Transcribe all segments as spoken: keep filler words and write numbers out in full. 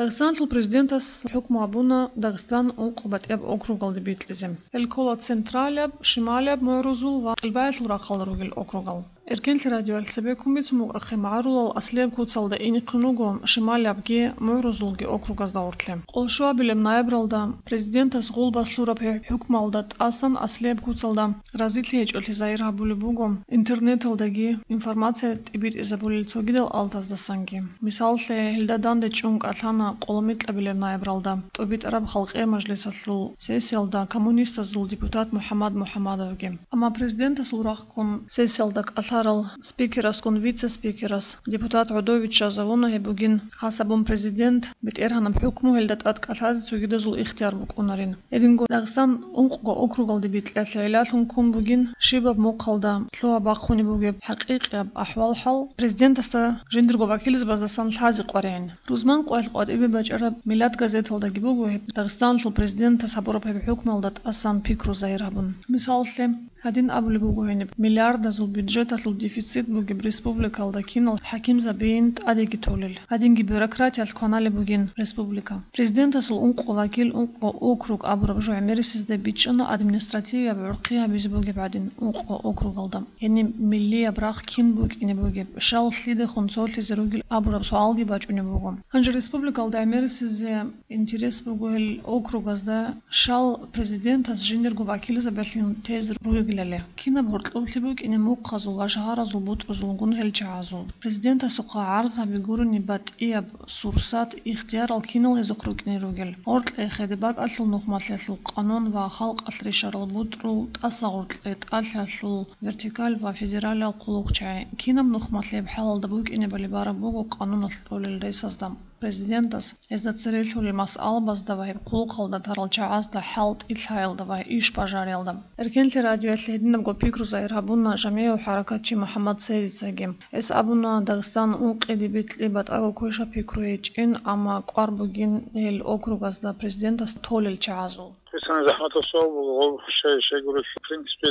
Дагъистаналъул президентас хӀукму гьабуна Дагъистан ункъо батӀияб округалде бикьизе. Гьел ккола централияб, шималияб, мугӀрузул ва къилбаялъул рахъалда ругел округал. Эркенлъи радиоялъ цебеккун бицун букӀахъе, магӀарулал аслияб куцалда инехъин руго шималиябги мугӀрузулги округазда гъорлъе. Къолъ щуабилеб ноябралда президентас гъулбас лъураб гьеб хӀукмуялда тӀасан аслияб куцалда разилъи гьечӀолъи загьир гьабулеб буго интернеталдаги информация тӀибитӀизабулел цогидал алтаздасанги. Мисаллъе, гьелда данде чӀун кӀалъана къоломикьабилеб ноябралда ТӀубитӀараб халкъиял мажлисалъул сессиялда коммунистазул депутат МухӀаммад МухӀаммадовги. Амма президентасул рахъ ккун сессиялда кӀалъарал спикерасгун вице-спикерас депутат гӀодов виччазавуна, гьеб бугин, хас абун президент, БетӀергьанаб хӀукму гьелда тӀад кӀалъазе цогидазул ихтияр букӀунарин. Гьединго Дагъистан ункъго округалде бикьиялъе гӀиллалъун ккун бугин, щибаб мухъалда лъугьа-бахъунеб бугеб хӀакъикъияб ахӀвал-хӀал президентасда жиндирго вакилзабаздасан лъазе къваригӀин. Рузман къоялъ къватӀибе бачӀараб «Миллат» газеталдаги буго гьеб Дагъистаналъул президентас гьабураб гьеб хӀукмуялда тӀасан пикру загьир гьабун. Мисаллъе, гьадин абулеб буго гьениб: миллиардазул бюджеталъул дефицит бугеб республикалда кинал хӀакимзабийин тӀадеги толел, гьадинги бюрократиялъ кваналеб бугин республика. Президентасул ункъо вакил, ункъо округ абураб жо гӀемерисезда бичӀчӀана административияб гӀурхъи гьабизе бугеб гӀадин ункъо округалда. Гьениб миллияб рахъ кин букӀине бугеб, щал лъидехун цолъизе ругел абураб суалги бачӀунеб буго. Гьанже республикалда гӀемерисезе интерес буго гьел округазда щал президентас жиндирго вакилзабилъун тезе ругелали. Кинаб гьоркьоблъи букӀине мухъазул ва шагьаразул бутӀрузулгун гьел чагӀазул. Президентасухъа гӀарз гьаби гурони батӀияб сурсат, ихтиярал кинал гьезухъ рукӀине ругел. Гьоркье хеде бакӀалъул нухмалъиялъул къанун ва халкъалъ ришарал бутӀрул, тӀаса гъоркье тӀалъиялъул вертикаль ва федералияб хъулухъчагӀи. Кинаб нухмалъияб хӀалалда букӀинебали бараб буго къануналъ кьолел ресазда. Президентас гьезда церелъулел масъалабазда ва гьеб хъулухъалда тарал чагӀазда хӀалтӀи лъаялда ва иш бажариялда. Эркенлъи радиоялъ гьединабго пикру загьир гьабуна жамигӀав хӀаракатчи МухӀаммад Церицаги. Гьес абуна, Дагъистан ункъиде бикьи батӀаго квеша пикру гьечӀин, амма кӀвар бугин гьел округазда президентас толел чагӀазул. Гьесана захӀматаб суал буго, гъоб щай-щайгурелъул принципе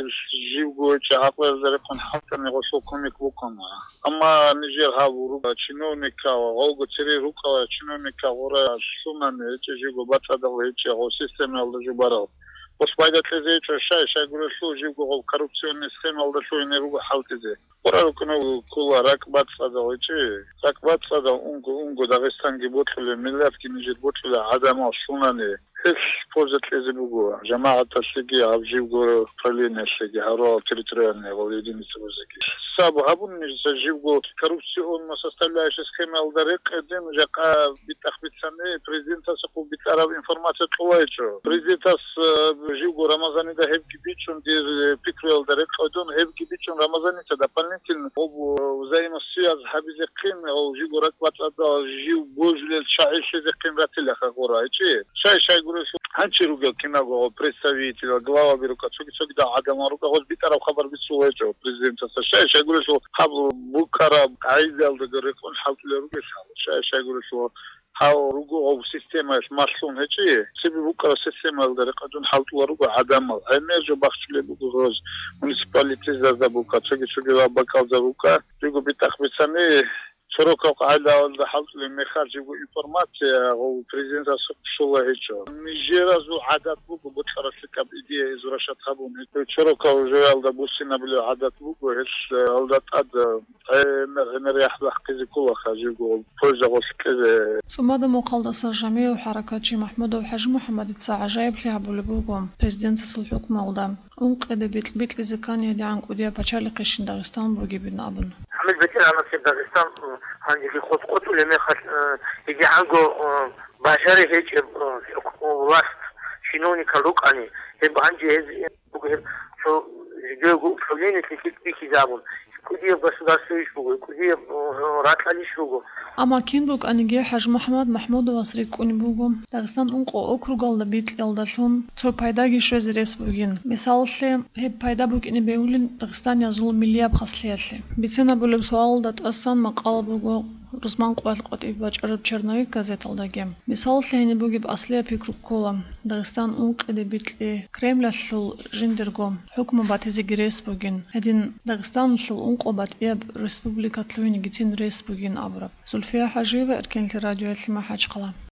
живго гьечӀеб гӀакълуялда рехун хӀалтӀани гъолъул кумек букӀана. Амма нижер гьаб руго чиновникал, гъолго цере рукӀала чиновникал гъура лъунани гьечӀеб живго бацӀцӀадал гьечӀеб гъоб системаялда жубарал. Гъолъ пайда кьезе гьечӀо, щай-щайгурелъул живго гъоб коррупционный схемаялда лъугьине руго хӀалтӀизе. Гъура рукӀуна ккола ракӀбацӀцӀадал гьечӀеб. РакӀбацӀцӀадал унго-унго Дагъистанги бокьулеб, миллатги нижер бокьулеб гӀадамал лъунани. Гьелъ польза кьезе буго жамагӀаталъеги, гьаб живго правлениялъеги, гьарулал территориальный гъол единицабазеги. Саб гьабун нижеца живго коррупционно составляющая схемаялда рекъеде, жакъа битӀахъ бицани, президентасухъ битӀараб информация кьолайчӀо. Президентас, э, живго Рамазанида гьебги бичӀчӀун, дир, э, пикруялда рекъедун, гьебги бичӀчӀун Рамазаница дополнительно гъоб, э, взаимосвязь гьабизехъин, гъов живго ракӀбацӀцӀадал жив божулел чагӀи лъезехъин ратилаха гъура гьечӀеб. Щай-щайгурелъул гьанчи ругел киналго представитель, главаби рука, цоги-цогидал гӀадамал рука, гъоз битӀараб хабар бицула гьечӀо президентасда. Щай-щайгурелъул гьаб букӀараб къагӀидаялдаго рекъон хӀалтӀулел ругел гьал. Щай-щайгурелъул гьав руго гъов системаялъ малъун гьечӀеб, цебе букӀараб системаялда рекъадун хӀалтӀула руго гӀадамал. ГӀемер жо бахчулеб буго гъоз муниципалитетазда бука, цоги-цогидал бакӀалда бука. Жиго битӀахъ бицани, сорокал къагӀидаялда хӀалтӀулеб мехалъ жиго информация гъов президентасухъ щола гьечӀо. Нижеразул гӀадат буго бокьараб лъикӀаб идея извращать гьабун. Сорокал жоялда буссинабулеб гӀадат буго, гьелъ, э, алда тӀад, э, гӀемер-гӀемер яхӀ бахъизе кколаха жиго польза гъолъ кьезе. ЦӀумада мухъалдаса жамигӀав хӀаракатчи МахӀмудов ХӀажимухӀаммадица гӀажаиблъи гьабулеб буго президентасул хӀукмуялда. Ункъиде бикь-, бикьизе ккани гьедигӀан кӀудияб пачалихъейщин Дагъистан бугебин абун. Гьаниб БетӀергьанасеб Дагъистан, э, гьанжеги къотӀ-къотӀулеб мехалъ, э, гьедигӀанго, э, бажари гьечӀеб, э, власть чиновникал рукӀани, гьеб гьанже гьез, э, буго гьеб цо жидеего управлениялъе лъикӀ бихьизабун. КӀудияб государствойищ буго, кӀудияб, э, ракьалищ руго. Амма кин букӀаниги, ХӀажимухӀаммад МахӀмудовас рикӀкӀунеб буго, Дагъистан ункъо округалда бикьиялдалъун цо пайдаги щвезе рес бугин. Мисалалъе, гьеб пайда букӀине бегьулин дагъистаниязул миллияб хаслъиялъе. Бицинабулеб суалалда тӀасан макъала буго Рузман къоялъ къватӀибе бачӀараб «Черновик» газеталдаги. Мисалалъе, гьениб бугеб аслияб пикру ккола: Дагъистан ункъиде бикьи Кремлалъул жиндирго хӀукму батизеги рес бугин, гьедин Дагъистаналъул ункъо батӀияб республика лъугьинегицин рес бугин абураб. Зульфия ХӀажиева, Эркенлъи радиоялъе, МахӀачхъала.